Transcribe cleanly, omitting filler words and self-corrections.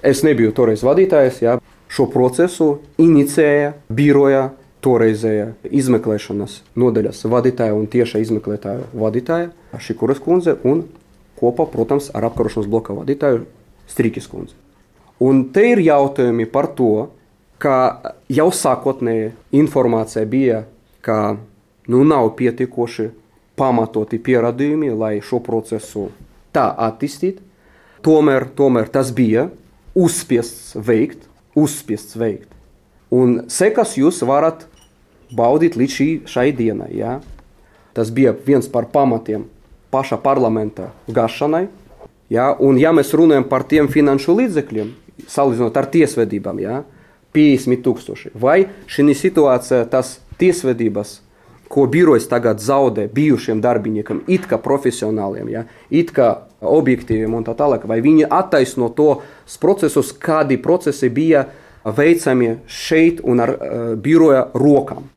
Es nebiju toreiz vadītājs, jā. Šo procesu inicēja biroja toreizēja izmeklēšanas nodaļas vadītāja un tieša izmeklētāja vadītāja Šikuras kundze un kopā, protams, ar apkarošanas bloka vadītāju Strīkis kundze. Un te ir jautājumi par to, ka jau sākotnēji informācija bija, ka nav pietiekoši pamatoti pierādījumi, lai šo procesu tā attīstītu. Tomēr tas bija uzspiests veikt. Un sekas jūs varat baudīt līdz šai dienai. Ja? Tas bija viens par pamatiem paša parlamenta gašanai. Ja? Un ja mēs runājam par tiem finanšu līdzekļiem, salīdzinot ar tiesvedībām, ja? 50,000. Vai šī situācija tas tiesvedības, ko birojs tagad zaudē bijušiem darbiniekam, it kā profesionāliem, ja? It kā objektīviem un tā tālāk, vai viņi attaisno tos procesus, kādi procesi bija veicami šeit un ar biroja rokām.